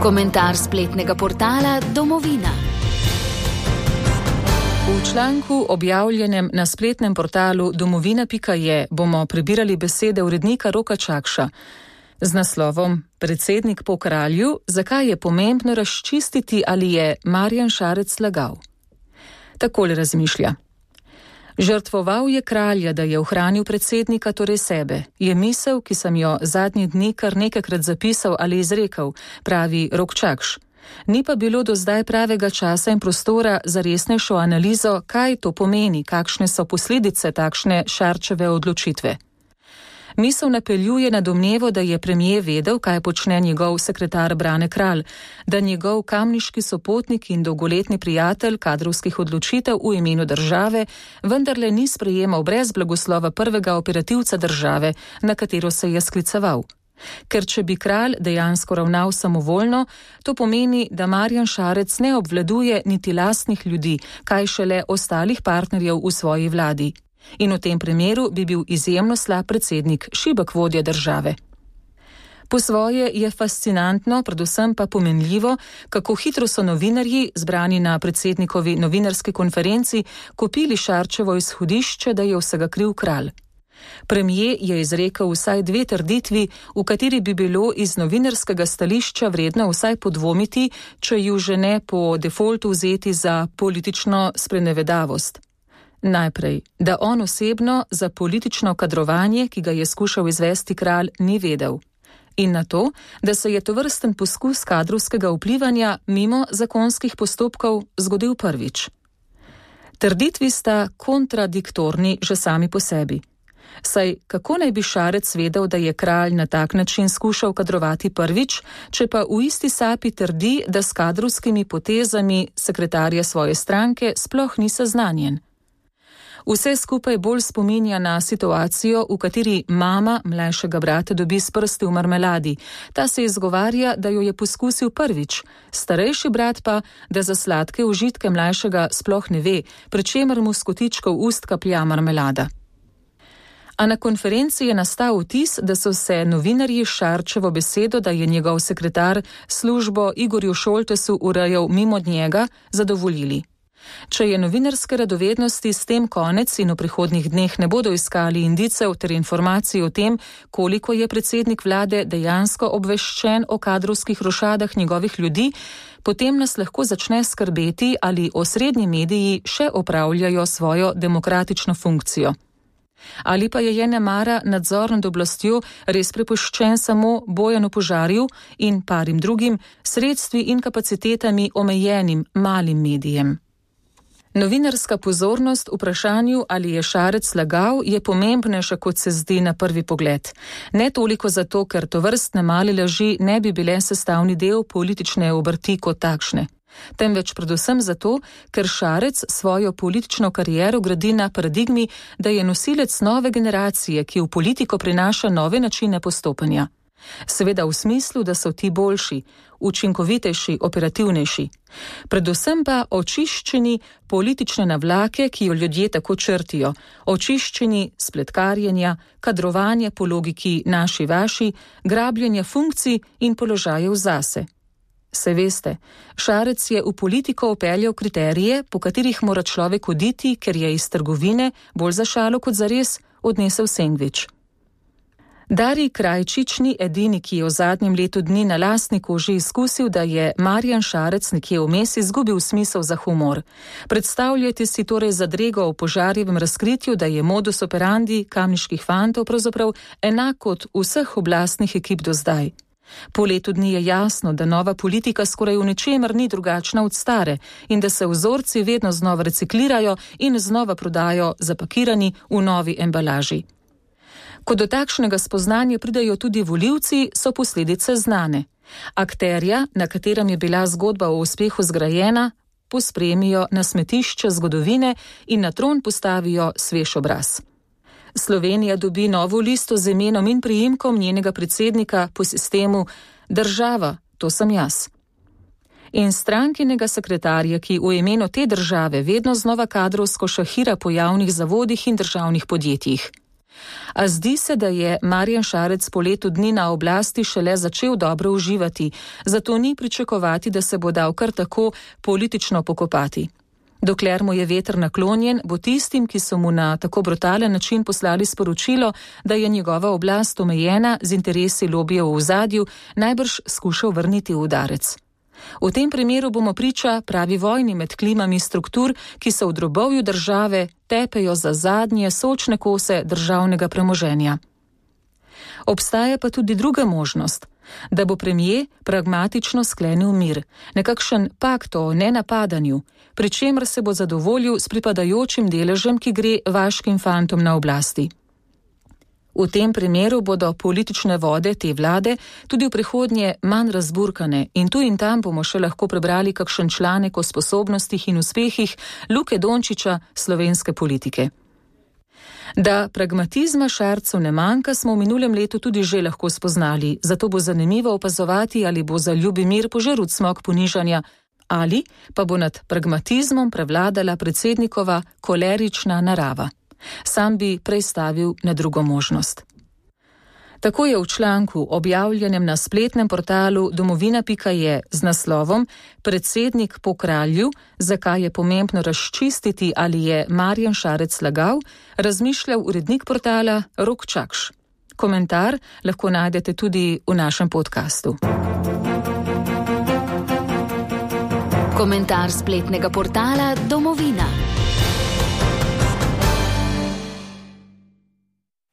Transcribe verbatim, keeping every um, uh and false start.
Komentar spletnega portala Domovina. V članku objavljenem na spletnem portalu domovina pika je bomo prebirali besede urednika Roka Čakša z naslovom Predsednik po kralju, zakaj je pomembno razčistiti, ali je Marjan Šarec lagal. Takole razmišlja. Žrtvoval je kralja, da je ohranil predsednika, torej sebe. Je misel, ki sem jo zadnji dni kar nekajkrat zapisal ali izrekel, pravi Rok Čakš. Ni pa bilo do zdaj pravega časa in prostora za resnejšo analizo, kaj to pomeni, kakšne so posledice takšne Šarčeve odločitve. Misel napeljuje na domnevo, da je premier vedel, kaj počne njegov sekretar Brane Kralj, da njegov kamniški sopotnik in dolgoletni prijatelj kadrovskih odločitev v imenu države vendarle ni sprejemal brez blagoslova prvega operativca države, na katero se je skliceval. Ker če bi kralj dejansko ravnal samovoljno, to pomeni, da Marjan Šarec ne obvladuje niti lastnih ljudi, kaj šele ostalih partnerjev v svoji vladi. In v tem primeru bi bil izjemno slab predsednik, šibek vodja države. Po svoje je fascinantno, predvsem pa pomenljivo, kako hitro so novinarji, zbrani na predsednikovi novinarski konferenci, kopili Šarčevo izhodišče, da je vsega kriv kralj. Premier je izrekel vsaj dve trditvi, v kateri bi bilo iz novinarskega stališča vredno vsaj podvomiti, če ju že ne po defaultu vzeti za politično sprenevedavost. Najprej, da on osebno za politično kadrovanje, ki ga je skušal izvesti kralj, ni vedel. In na to, da se je tovrsten poskus kadrovskega vplivanja mimo zakonskih postopkov zgodil prvič. Trditvi sta kontradiktorni že sami po sebi. Saj kako naj bi Šarec vedel, da je kralj na tak način skušal kadrovati prvič, če pa v isti sapi trdi, da s kadrovskimi potezami sekretarja svoje stranke sploh ni seznanjen. Vse skupaj bolj spominja na situacijo, v kateri mama mlajšega brata dobi s prsti v marmeladi. Ta se izgovarja, da jo je poskusil prvič, starejši brat pa, da za sladke užitke mlajšega sploh ne ve, pri čemer mu s kotičkov ust kaplja marmelada. A na konferenci je nastal vtis, da so se novinarji Šarčevo besedo, da je njegov sekretar službo Igorju Šoltesu urejal mimo njega, zadovoljili. Če je novinarske radovednosti s tem konec in v prihodnjih dneh ne bodo iskali indicev ter informacij o tem, koliko je predsednik vlade dejansko obveščen o kadrovskih rošadah njegovih ljudi, potem nas lahko začne skrbeti, ali osrednji mediji še opravljajo svojo demokratično funkcijo. Ali pa je nemara nadzor nad oblastjo res prepuščen samo Bojanu Požarju in parim drugim sredstvi in kapacitetami omejenim malim medijem. Novinarska pozornost vprašanju, ali je Šarec lagal, je pomembnejša, kot se zdi na prvi pogled. Ne toliko zato, ker tovrstne male laži ne bi bile sestavni del politične obrti kot takšne. Temveč predvsem zato, ker Šarec svojo politično kariero gradi na paradigmi, da je nosilec nove generacije, ki v politiko prinaša nove načine postopanja. Seveda v smislu, da so ti boljši, učinkovitejši, operativnejši. Predvsem pa očiščeni politične navlake, ki jo ljudje tako črtijo, očiščeni spletkarjenja, kadrovanja po logiki naši vaši, grabljenja funkcij in položajev zase. Se veste, Šarec je v politiko upeljal kriterije, po katerih mora človek oditi, ker je iz trgovine, bolj za šalo kot za res, odnesel sendvič. Darij Krajčič ni edini, ki je v zadnjem letu dni na lastni koži izkusil, da je Marjan Šarec nekje vmes izgubil smisel za humor. Predstavljajte si torej zadrego v Požarjevem razkritju, da je modus operandi kamniških fantov pravzaprav enak kot vseh oblastnih ekip do zdaj. Po letu dni je jasno, da nova politika skoraj v ničemer ni drugačna od stare in da se vzorci vedno znova reciklirajo in znova prodajo zapakirani v novi embalaži. Ko do takšnega spoznanja pridejo tudi volivci, so posledice znane. Akterja, na katerem je bila zgodba o uspehu zgrajena, pospremijo na smetišče zgodovine in na tron postavijo svež obraz. Slovenija dobi novo listo z imenom in priimkom njenega predsednika po sistemu država, to sem jaz. In strankinega sekretarja, ki v imenu te države vedno znova kadrovsko šahira po javnih zavodih in državnih podjetjih. A zdi se, da je Marjan Šarec po letu dni na oblasti šele začel dobro uživati, zato ni pričakovati, da se bo dal kar tako politično pokopati. Dokler mu je veter naklonjen, bo tistim, ki so mu na tako brutalen način poslali sporočilo, da je njegova oblast omejena z interesi lobijev v ozadju, najbrž skušal vrniti udarec. V tem primeru bomo priča pravi vojni med klimami struktur, ki se v drobovju države tepejo za zadnje sočne kose državnega premoženja. Obstaja pa tudi druga možnost, da bo premier pragmatično sklenil mir, nekakšen pakt o nenapadanju, pri čemer se bo zadovoljil s pripadajočim deležem, ki gre vaškim fantom na oblasti. V tem primeru bodo politične vode te vlade tudi v prihodnje manj razburkane in tu in tam bomo še lahko prebrali kakšen članek o sposobnostih in uspehih Luke Dončića slovenske politike. Da pragmatizma Šarcu ne manjka, smo v minulem letu tudi že lahko spoznali, zato bo zanimivo opazovati, ali bo za ljubi mir požrl cmok ponižanja, ali pa bo nad pragmatizmom prevladala predsednikova kolerična narava. Sam bi prej stavil na drugo možnost. Tako je v članku, objavljenem na spletnem portalu domovina pika je z naslovom Predsednik po kralju, zakaj je pomembno razčistiti, ali je Marjan Šarec lagal, razmišljal urednik portala Rok Čakš. Komentar lahko najdete tudi v našem podkastu. Komentar spletnega portala Domovina.